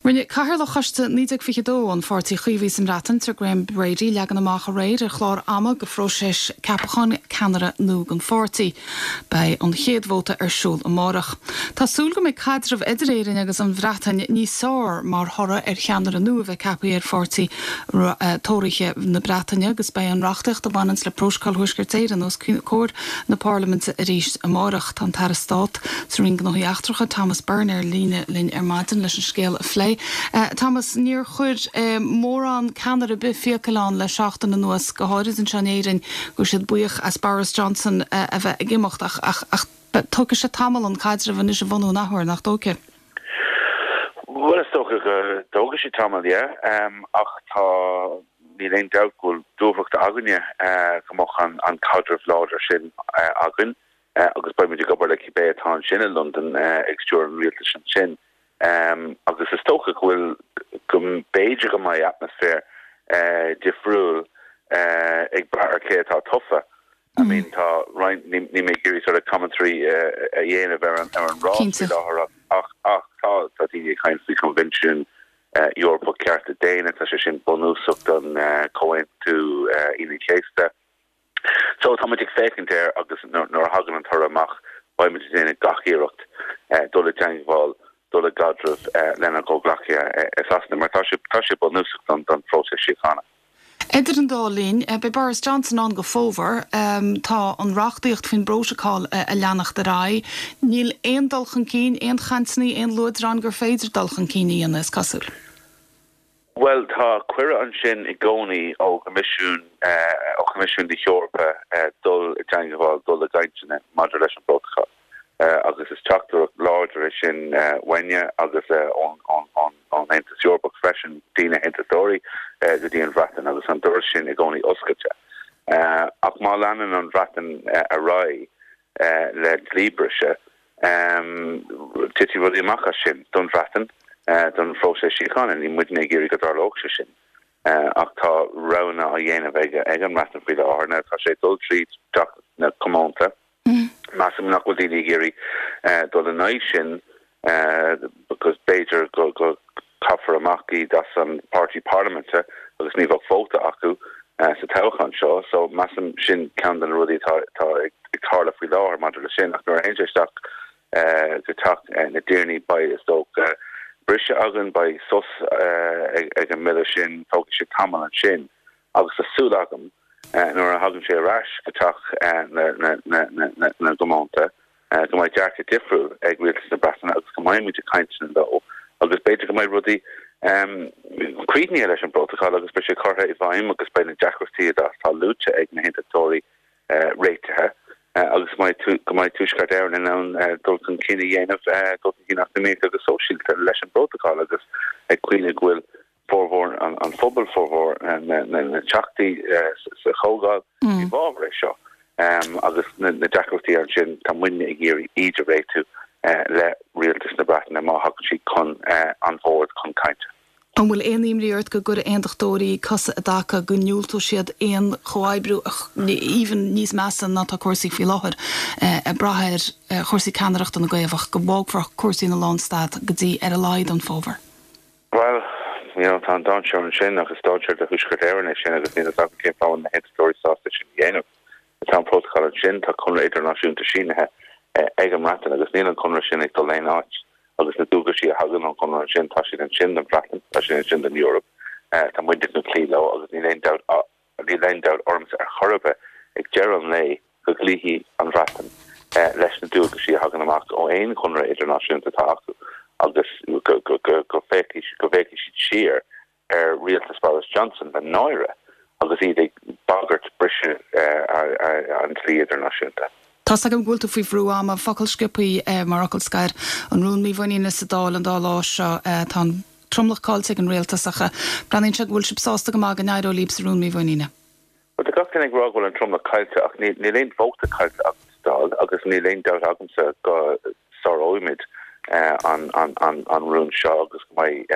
Rinne Cathaoirleach Choiste 1922 an Pháirtí Chaomhaigh sa mBreatain, Sir Graham Brady, leagan amach aréir ar chlár ama go phróiseas ceapacháin ceannaire nua don pháirtí. Beidh an chéad vóta ar siúl amárach. Tá súil go mbeidh caidreamh idir Éirinn agus an Bhreatain níos fearr mar thoradh ar cheannaire nua a bheith ceaptha ar pháirtí Tóraithe na Breataine agus beidh an reachtaíocht a bhaineanns le Prótacal Thuaisceart Éireann os comhair na Parlaiminte arís amárach. Tá an tAire Stáit sa Roinn Gnóthaí Eachtracha, Thomas Byrne ar líne linn ar maidin leis an scéal a phlé. Thomas, níor chuir mórán ceannaire ar bith fiacail ann le seachtain anuas, go háirid anseo in Éirinn, go raibh siad buíoch as Boris Johnson a bheith ag imeacht ach ach tógfaidh sé tamall an caidreamh anois a bhunú an athuair, nach dtógfaidh? Bhuel, is dócha go dtógfaidh sé tamall, yeah, ach tá, níl aon dabht go bhfuil dúthracht againne go mbeadh an caidreamh láidir sin againn agus beidh muid ag obair le cibé atá ansin i Londain ag stiúradh an rialtais ansin. Agus is dócha go bhfuil, go mb'fhéidir go mbeidh atmaisféar difriúil ag brath ar cé atá tofa. I mean tá roinnt, níl mé ag iarraidh sort of commentary a dhéanamh ar an ar an rás faoi láthair ach ach tá tá daoine ag caint faoi Choinbhinsiún Eorpach Cearta Daonna, tá sé sin bunúsach don Chomhaontú Aoine an Chéasta. So tá muid ag féachaint air agus nuair a thagann an toradh amach beidh muid ag déanamh gach iarracht dul i dteangmháil, dul i gcaidreamh lenár gcomhghleacaithe i Sasana mar tá sé tá sé bunúsach don don phróiseas síochána. Idir an dá linn, beidh Boris Johnson ann go fómhar. Tá an reachtaíocht faoin bprótacal ag leanacht ar aghaidh. Níl aon dul chun cinn, aon chainteanna, aon luaidreáin gur féidir dul chun cinn a dhéanamh, is cosúil. Bhuel, tá cuireadh ansin i gcónaí ó Choimisiún, ó Choimisiún na hEorpa dul i dteangmháil, dul i gcainteanna maidir leis an bprótacal. Agus is teachtaireacht láidir é sin uainne agus ón Aontas Eorpach freisin go dtí na hAontachtóirí go dtí an Bhreatain agus an doras sin i gcónaí oscailte. Ach má leanann an Bhreatain ar aghaidh le dlíbhriseadh, titfidh rudaí amach as sin don Bhreatain, don phróiseas síochána. Níl muidne ag iarraidh go dtarlódh sé sin. Ach tá roghanna á dhéanamh ag an mBreatain faoi láthair. Now tá sé ag dul tríd Teach na Comónta. Measaim nach bhfuil daoine ag iarraidh dul in aghaidh sin because b'fhéidir go gcaithfear amach iad as an páirtí parlaiminte agus ní bheadh vóta acu sa toghchán seo. So measaim sin ceann de na rudaí atá ag tarlú faoi láthair maidir le sin. Ach nuair a théann sé isteach go Teach na dTiarnaí beidh is dócha briseadh againn, beidh sos ag an mbille sin, tógfaidh sé tamall ansin agus tá súil agam nuair a thagann sé ar ais go Teach na gComónta go mbeidh dearcadh difriúil ag Rialtas na Breataine agus go mbeidh muid ag cainteanna leo agus b'fhéidir go mbeidh rudaí críochnaithe leis an bprótacal agus beidh sé curtha i bhfeidhm agus beidh na deacrachtaí atá luaite ag na hAontachtóirí réitithe agus go mbeidh Tuaisceart Éireann in ann dul chun cinn a dhéanamh, dul chun cinn eacnamaíoch agus sóisialta leis an bprótacal agus ag cuimhneamh go bhfuil formhór an phobail, formhór na dteachtaí sa Chomhdháil i bhfabhar é seo agus na deacrachtaí ansin, tá muidne ag iarraidh iad a réitiú le Rialtas na Breataine má thagann siad chun an bhoird chun cainte. An bhfuil aon imní ort go gcuirfidh aontachtóirí cosa i dtaca, go ndiúltóidh siad aon chomhoibriú even níos measa ná tá cúrsaí faoi láthair, ag brath ar chúrsaí ceannaireachta na gCaomhach, go bhfágfar cúrsaí ina lánstad go dtí ar a laghad an fómhar? Bhuel, you know, tá an dainséar ansin agus dainséar do Thuaisceart Éireann é sin agus níl fhios agam cén fáth a bhfuil na hAontachtóirí sásta sin a dhéanamh. Tá an prótacal ansin, tá conradh idirnáisiúnta sínithe ag an mBreatain agus níl an conradh sin ag dul aon áit agus na dualgaisí a thagann ón chonradh ansin, tá siad ansin don Bhreatain, tá siad ansin don Eoraip, tá muidne chun cloí leo agus níl aon dabht Níl aon dabht ormsa ar chor ar bith ag deireadh an lae go gcloífidh an Bhreatain leis na dualgaisí a thagann amach ó aon chonradh idirnáisiúnta atá acu agus go bhféachfaidh siad siar ar rialtas Boris Johnson le náire agus iad ag bagairt briseadh an dlí idirnáisiúnta. Tá's agam go bhfuil tú faoi bhrú ama. Focal sciobtha mar fhocal scoir. An rún mímhuiníne sa Dáil an dá lá seo. Tá an tromlach caillte ag an rialtas ach breathnaíonn sé go bhfuil sibh sásta go maith go n-éireoidh libh sa rún mímhuiníne. Bhuel, tá gach duine ag rá go bhfuil an tromlach caillte ach níl aon vóta caillte againn sa Dáil agus níl aon dabht agamsa go sáróimid an rún seo agus go mbeidh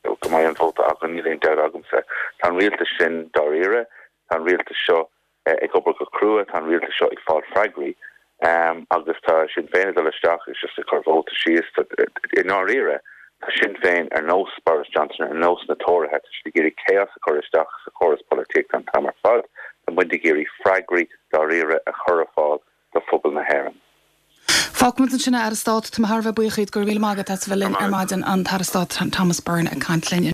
go mbeidh an vóta againn, níl aon dabht agamsa. Tá an rialtas sin dáiríre, tá an rialtas seo ag obair go crua, tá an rialtas seo ag fáil freagraí agus tá Sinn Féin ag dul isteach is just ag cur vóta síos. I ndáiríre, Tá Sinn Féin, ar nós Boris Johnson, ar nós na Tóraithe, tá siad ag iarraidh chaos a chur isteach sa chóras polaitíochta an t-am ar fad. Tá muid ag iarraidh freagraí dáiríre a chur ar fáil do phobal na hÉireann. Fágfaimid ansin é, a Aire Stáit. Tá mé thar a bheith buíoch díot. Go raibh míle maith agat as a bheith linn ar maidin, an tAire Stáit Thomas Byrne ag caint linn.